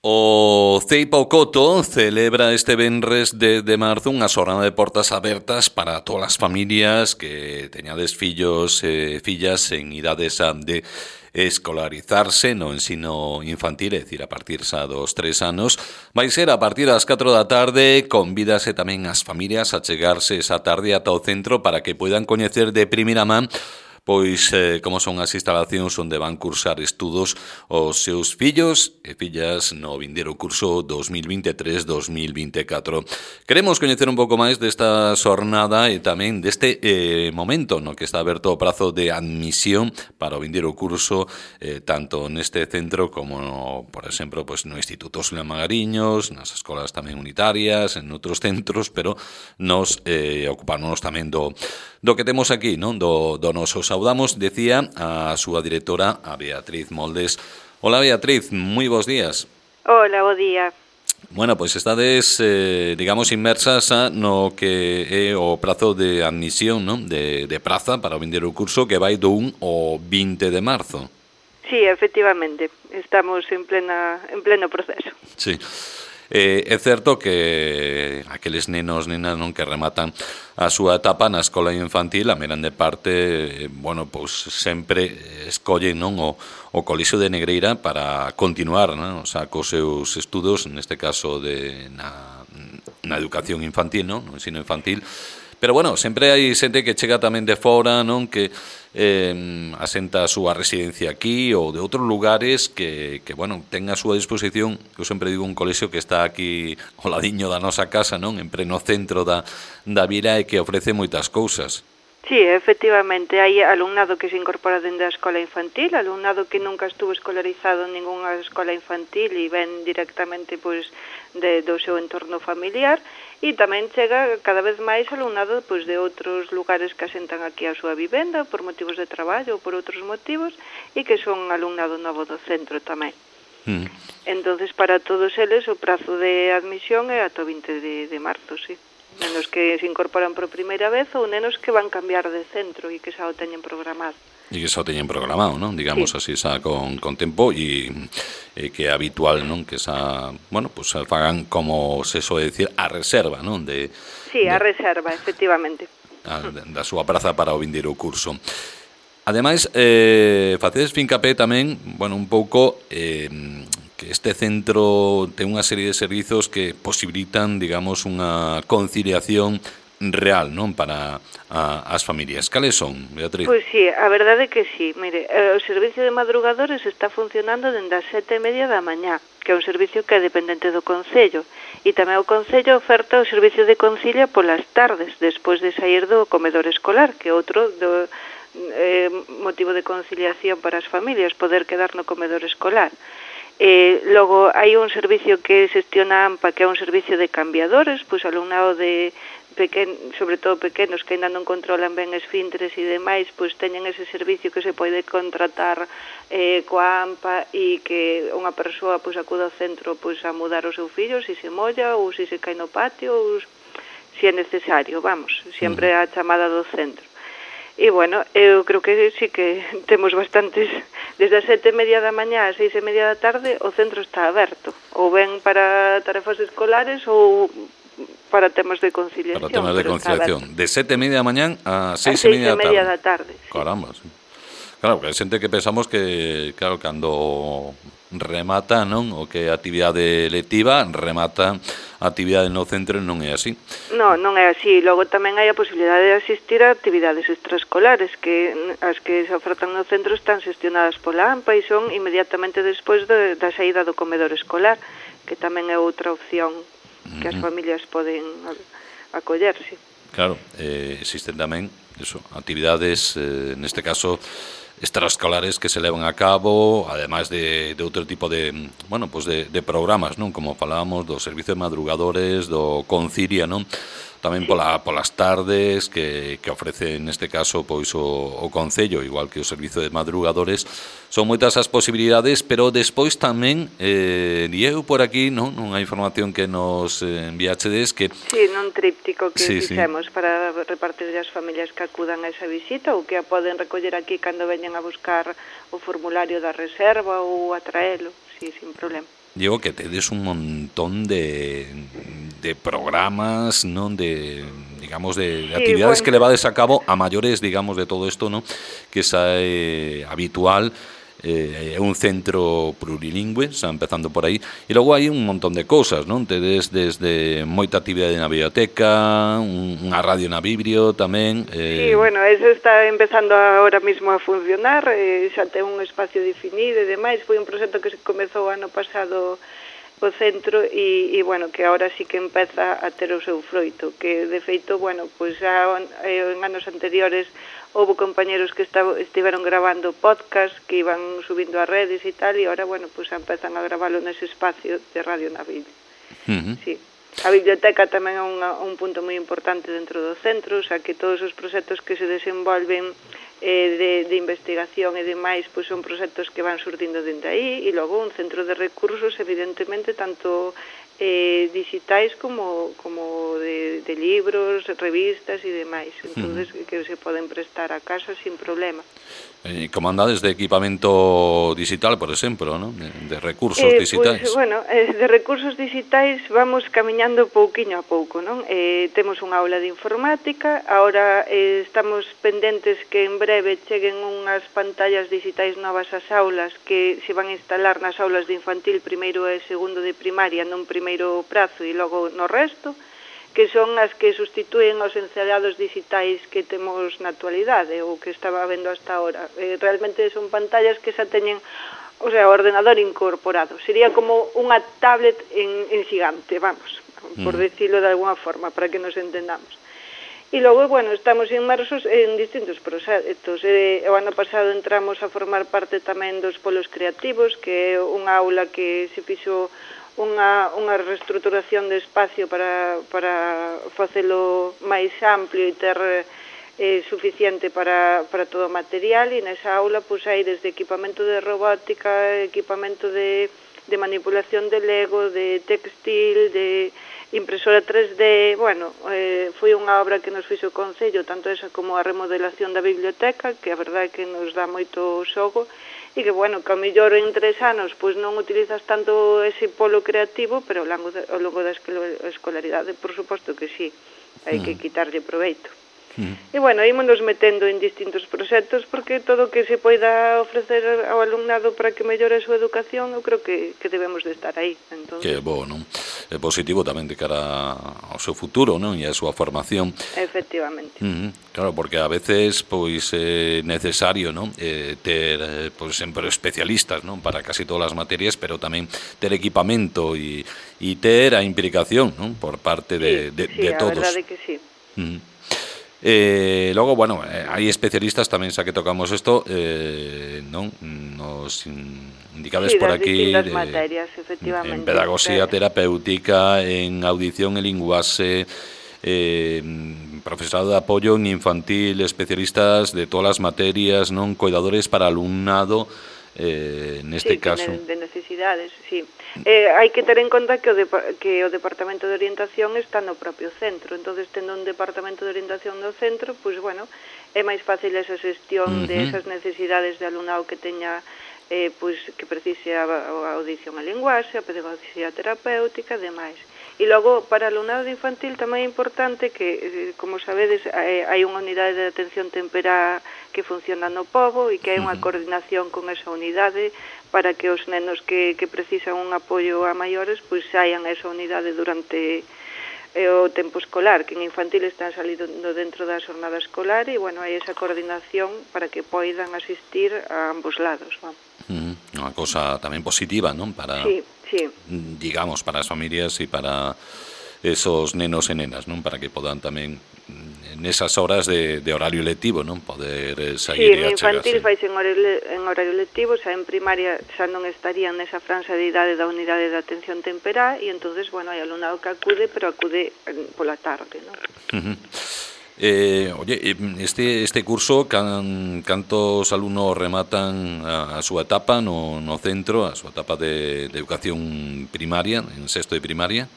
O Ceipa Coto celebra este venres de marzo unha xornada de portas abertas para todas as familias que teñades fillos e fillas en idades de escolarizarse no ensino infantil, é dicir, a partir xa dos 3 anos. Vai ser a partir das 4 da tarde, convídase tamén as familias a chegarse esa tarde ata o centro para que poidan coñecer de primeira man pois como son as instalacións onde van cursar estudos os seus fillos e fillas no vindeiro curso 2023-2024. Queremos coñecer un pouco máis desta xornada e tamén deste momento no que está aberto o prazo de admisión para o vindeiro curso tanto neste centro como, por exemplo, pois no Instituto Xulián Magariños, nas escolas tamén unitarias, en outros centros, pero nos ocupamos tamén do que temos aquí, non? Do noso. Saudamos, decía, a súa directora, a Beatriz Moldes. Hola, Beatriz, moi bons días. Hola, bo día. Bueno, pois estades, digamos, inmersas no que é o prazo de admisión, non? De praza para o vindeiro curso que vai do 1 ao 20 de marzo. Sí, efectivamente, estamos en pleno proceso. Sí. É certo que aqueles nenos, nenas, non, que rematan a súa etapa na escola infantil, a grande parte, bueno, pois sempre escollen, non, o Colexio de Negreira para continuar, non, o sea, cos seus estudos, neste caso na educación infantil, non, no ensino infantil. Pero, bueno, sempre hai xente que chega tamén de fora, non, que asenta a súa residencia aquí ou de outros lugares que bueno, ten a súa disposición, eu sempre digo, un colexio que está aquí ao ladiño da nosa casa, non, en pleno centro da vila e que ofrece moitas cousas. Sí, efectivamente, hai alumnado que se incorpora dende a escola infantil, alumnado que nunca estuvo escolarizado en ningunha escola infantil e ven directamente pois do seu entorno familiar, e tamén chega cada vez máis alumnado pois de outros lugares que asentan aquí a súa vivenda por motivos de traballo ou por outros motivos e que son alumnado novo do centro tamén. Entonces, para todos eles o prazo de admisión é ata o 20 de marzo, sí. Nenos que se incorporan por primeira vez ou nenos que van cambiar de centro e que xa o teñen programado. E que xa o teñen programado, non? Digamos así, xa con tempo e que é habitual, non? Que xa, bueno, pues fagan, como se soe dicir, a reserva, non? Sí, a reserva, efectivamente. Da súa praza para o vindeiro curso. Ademais, facedes fincapé tamén, bueno, un pouco que este centro ten unha serie de servizos que posibilitan, digamos, unha conciliación real, non, para as familias. Cales son, Beatriz? Pois sí, a verdade é que sí. Mire, o servicio de madrugadores está funcionando dende as 7:30 da mañá, que é un servicio que é dependente do Concello, e tamén o Concello oferta o servicio de concilia polas tardes, despois de sair do comedor escolar, que é outro motivo de conciliación para as familias, poder quedar no comedor escolar. Logo, hai un servicio que xestiona a AMPA, que é un servicio de cambiadores, pois alumnado de sobre todo pequenos que ainda non controlan ben esfínteres e demais, pois teñen ese servicio que se pode contratar coa AMPA e que unha persoa pois acuda ao centro pois a mudar o seu fillo se se molla ou se se cae no patio ou se é necesario, vamos, sempre a chamada do centro. E, bueno, eu creo que sí que temos bastantes, desde as 7:30 da mañá ás 6:30 da tarde, o centro está aberto, ou ben para tarefas escolares ou para temas de conciliación. Para temas de conciliación. De 7:30 da mañá a 6:30 da tarde. Sí. Caramba, sí. Claro, que hai xente que pensamos que, claro, cando remata, non, o que é a actividade lectiva, remata a actividade no centro e non é así. Non é así. Logo tamén hai a posibilidade de asistir a actividades extraescolares que as que se ofertan no centro están xestionadas pola AMPA e son inmediatamente despois da saída do comedor escolar, que tamén é outra opción que as familias poden acollerse. Claro, existen tamén actividades, neste caso, extraescolares que se levan a cabo, ademais de outro tipo de, bueno, pues de programas, non? Como falábamos do servicio de madrugadores, do Concilia, non? Tamén polas tardes que ofrece neste caso pois o Concello, igual que o servicio de madrugadores. Son moitas as posibilidades, pero despois tamén eu por aquí, non, unha información que nos enviachedes que sí, nun tríptico que fixemos para repartir as familias que acudan a esa visita ou que a poden recoller aquí cando veñan a buscar o formulario da reserva ou a traelo, sí, sin problema. Digo que tedes un montón de programas, non, de digamos de actividades que levades a cabo a maiores, digamos, de todo isto, non, que xa é habitual. É un centro plurilingüe, xa empezando por aí, e logo hai un montón de cousas, non? Tedes desde moita actividade na biblioteca, unha radio na Bibrio tamén. Sí, bueno, eso está empezando ahora mismo a funcionar, xa ten un espacio definido e demais, foi un proxecto que se comezou ano pasado o centro e bueno, que ahora sí que empeza a ter o seu froito, que de feito, bueno, pois xa en anos anteriores houve compañeros que estiveron grabando podcast que iban subindo a redes e tal, e ahora, bueno, pois empezan a gravalo nese espacio de Radio na Biblia. Sí. A biblioteca tamén é un punto moi importante dentro do centro, o sea que todos os proxectos que se desenvolven de investigación e demais, pois son proxectos que van surdindo dende aí, e logo un centro de recursos, evidentemente, tanto digitais como de libros, revistas e demais, entonces que se poden prestar a casa sin problema. Como andades de equipamento digital, por exemplo, ¿no? De recursos digitais? Pues, bueno, de recursos digitais vamos camiñando pouquiño a pouco, non? Temos unha aula de informática, ahora estamos pendentes que en breve cheguen unhas pantallas digitais novas ás aulas que se van a instalar nas aulas de infantil primeiro e segundo de primaria nun primeiro prazo e logo no resto, que son as que sustitúen os encedados digitais que temos na actualidade ou que estaba vendo hasta ahora. Realmente son pantallas que xa teñen, o sea, o ordenador incorporado. Sería como unha tablet en xigante, vamos, por decirlo de alguna forma, para que nos entendamos. E logo, bueno, estamos inmersos en distintos proxectos. O ano pasado entramos a formar parte tamén dos polos creativos, que é unha aula que se fixo unha reestruturación de espacio para facelo máis amplio e ter suficiente para todo o material, e nesa aula pois hai desde equipamento de robótica, equipamento de manipulación de Lego, de textil, de impresora 3D, bueno, foi unha obra que nos fixo o Concello, tanto esa como a remodelación da biblioteca, que a verdade é que nos dá moito xogo, e que, bueno, que ao mellor en 3 anos pois non utilizas tanto ese polo creativo, pero ao longo da escolaridade, por suposto que sí, hai que quitarlle proveito. E, bueno, ímonos metendo en distintos proxectos porque todo o que se poida ofrecer ao alumnado para que mellore a súa educación, eu creo que debemos de estar aí. Entonces, que bo, non? É positivo tamén de cara ao seu futuro, non? E a súa formación. Efectivamente. Claro, porque a veces pois é necesario, non? Ter pois sempre especialistas, non? Para casi todas as materias, pero tamén ter equipamento e ter a implicación, non? Por parte de todos. Sí, a verdade que sí. Logo, bueno, hai especialistas tamén, xa que tocamos isto, non? Nos indicades por aquí materias, efectivamente, en pedagogía terapéutica, en audición e linguaxe, profesorado de apoio en infantil, especialistas de todas as materias, non? Coidadores para alumnado, neste caso. De necesidades, sí. Hai que ter en conta que o Departamento de Orientación está no propio centro, entonces tendo un Departamento de Orientación no centro, pois, bueno, é máis fácil esa xestión de esas necesidades de alumnado que teña pois que precise a audición e linguaxe, a pedagogía terapéutica e demais. E logo, para alumnado infantil tamén é importante que, como sabedes, hai unha unidade de atención temperá que funciona no Pobo e que hai unha coordinación con esa unidade para que os nenos que precisan un apoio a maiores pois saian a esa unidade durante o tempo escolar, que en infantil están salindo dentro da xornada escolar e, bueno, hai esa coordinación para que poidan asistir a ambos lados, vamos. Unha cosa tamén positiva, non? Para, sí. digamos, para as familias e para esos nenos e nenas, non? Para que podan tamén nesas horas de horario lectivo, non? Poder sair e achegarse. Sí, en infantil faise en horario lectivo, xa en primaria xa non estarían nesa franxa de idade da unidade de atención temperá e entonces, bueno, hai alumnado que acude, pero acude pola tarde, non? Oye, este curso, cantos alumnos rematan a súa etapa no centro, a súa etapa de educación primaria, en sexto de primaria?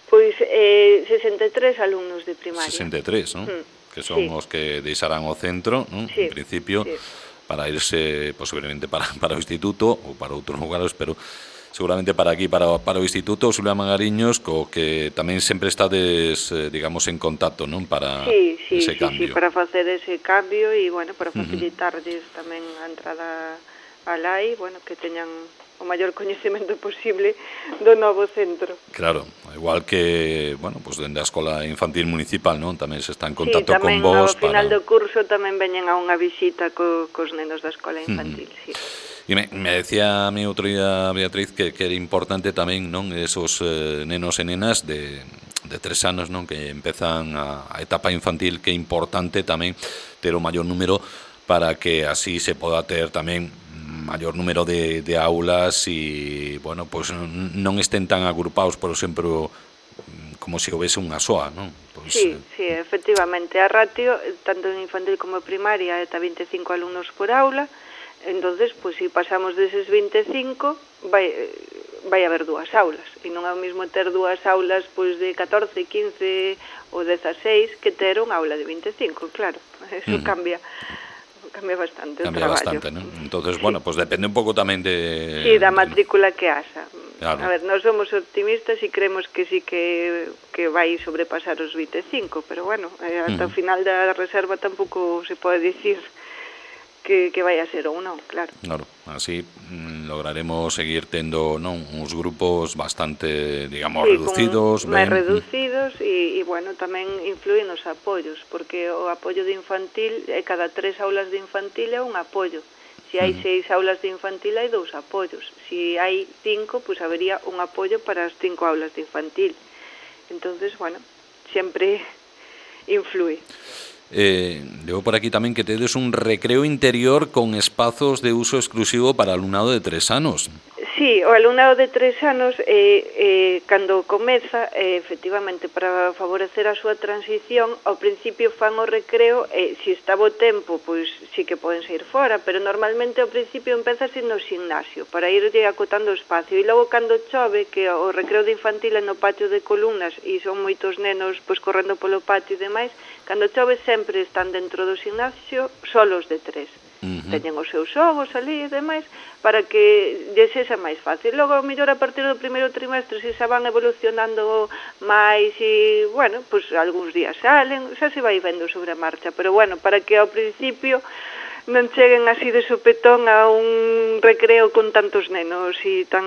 Pois 63 alumnos de primaria. 63, non? Que son os que deixarán o centro, non? En principio, para irse posiblemente para o instituto ou para outros lugares, pero seguramente para aquí, para o Instituto Xulia Magariños, co que tamén sempre estades, digamos, en contacto, non? Para ese cambio. Sí, para facer ese cambio e, bueno, para facilitarlles tamén a entrada alá e, bueno, que teñan o maior coñecemento posible do novo centro. Claro, igual que, bueno, pues dende a Escola Infantil Municipal, non? Tamén se está en contacto con vos. Ao final do curso tamén veñen a unha visita cos nenos da Escola Infantil, sí. E me decía a mí outro día Beatriz que era importante tamén, non, esos nenos e nenas de 3 anos, non, que empezan a etapa infantil, que é importante tamén ter o maior número para que así se poda ter tamén maior número de aulas e, bueno, pues non estén tan agrupados, por exemplo, como se houvese unha soa, non? Pues, sí, efectivamente, a ratio, tanto en infantil como en primaria, é 25 alumnos por aula. Entonces, pues si pasamos deses 25, vai haber 2 aulas, e non é o mesmo ter 2 aulas pois de 14, 15 ou 16 que ter unha aula de 25, claro, eso cambia bastante o traballo. Cambia bastante, non? Entonces, bueno, pues depende un pouco tamén de... Sí, da matrícula que haxa. Claro. A ver, nós somos optimistas e creemos que sí que vai sobrepasar os 25, pero bueno, ata o final da reserva tampouco se pode dicir que vai a ser ou non, claro. Claro, así lograremos seguir tendo, non, uns grupos bastante, digamos, reducidos. Máis reducidos e, bueno, tamén influen os apoios, porque o apoio de infantil, cada 3 aulas de infantil é un apoio. Se hai 6 aulas de infantil, hai 2 apoios. Se hai 5, pois habería un apoio para as 5 aulas de infantil. Entonces, bueno, sempre influe. Leo por aquí tamén que tedes un recreo interior con espazos de uso exclusivo para alumnado de 3 anos. Sí, o alumnado de 3 anos, cando comeza, efectivamente, para favorecer a súa transición, ao principio fan o recreo, se está bo tempo, pois sí que poden sair fora, pero normalmente ao principio empezase no gimnasio, para irlle acotando o espacio, e logo cando chove, que o recreo de infantil é no patio de columnas, e son moitos nenos pois correndo polo patio e demais, cando chove sempre están dentro do gimnasio solos de 3. Teñen os seus xogos ali e demais para que lles sexa máis fácil. Logo, ao mellor, a partir do primeiro trimestre, se xa van evolucionando máis e, bueno, pues algúns días salen, xa se vai vendo sobre a marcha, pero, bueno, para que ao principio non cheguen así de sopetón a un recreo con tantos nenos e tan...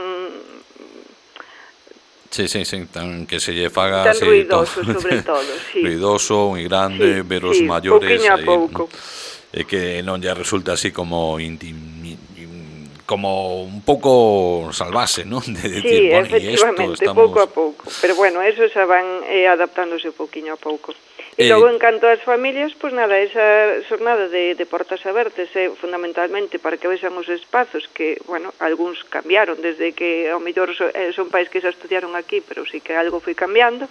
Sí, tan que se lle faga... Tan ruidoso, sobre todo, sí. Ruidoso, moi grande, ver os maiores... Pouquiño a pouco. E que non lle resulta así como como un pouco salvase, non? De decir, bueno, efectivamente, pouco a pouco. Pero bueno, eso xa van adaptándose pouquiño a pouco. E logo, en canto ás familias, pois nada, esa xornada de portas abertas é fundamentalmente para que vexan os espazos que, bueno, algúns cambiaron desde que ao mellor son pais que xa estudiaron aquí, pero sí que algo foi cambiando.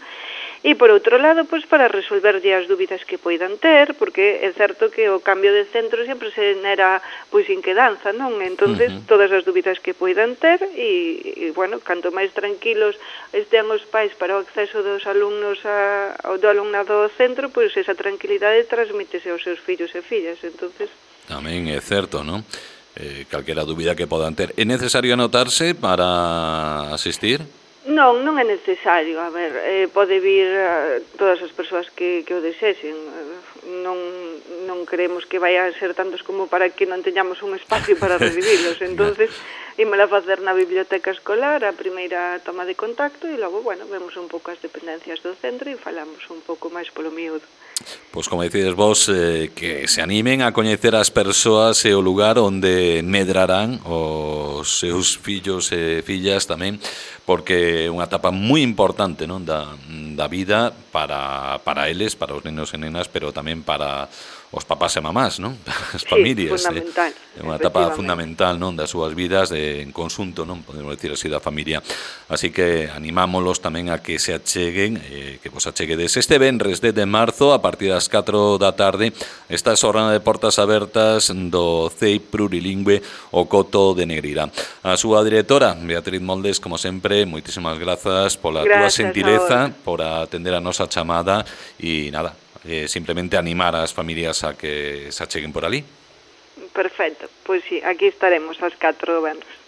E, por outro lado, pois para resolverlle as dúbidas que poidan ter, porque é certo que o cambio de centro sempre se nera pois inquedanza, non? Entonces, todas as dúbidas que poidan ter e, bueno, canto máis tranquilos estean os pais para o acceso dos alumnos do alumnado ao centro, pois esa tranquilidade transmítese aos seus fillos e fillas, entonces... Tamén é certo, non? Calquera dúbida que podan ter. É necesario anotarse para asistir? Non é necesario, a ver, pode vir todas as persoas que o desexen, non creemos que vai a ser tantos como para que non teñamos un espacio para recibilos, entonces ímola facer na biblioteca escolar, a primeira toma de contacto e logo, bueno, vemos un pouco as dependencias do centro e falamos un pouco máis polo miúdo. Pois como decides vos, que se animen a coñecer as persoas e o lugar onde medrarán os seus fillos e fillas tamén, porque é unha etapa moi importante, non, da vida para eles, para os nenos e nenas, pero tamén para os papás e mamás, non? As familias. Fundamental. É unha etapa fundamental, non, das súas vidas en conxunto, non, podemos decir así, da familia. Así que animámolos tamén a que se acheguen, que vos acheguedes este venres de marzo a partir das 4 da tarde esta xornada de portas abertas do CEI Plurilingüe o Coto de Negrira. A súa directora, Beatriz Moldes, como sempre, moitísimas grazas pola túa xentileza, por atender a nosa chamada e nada, simplemente animar as familias a que se acheguen por ali. Perfecto, pois sí, aquí estaremos ás 4 do venres.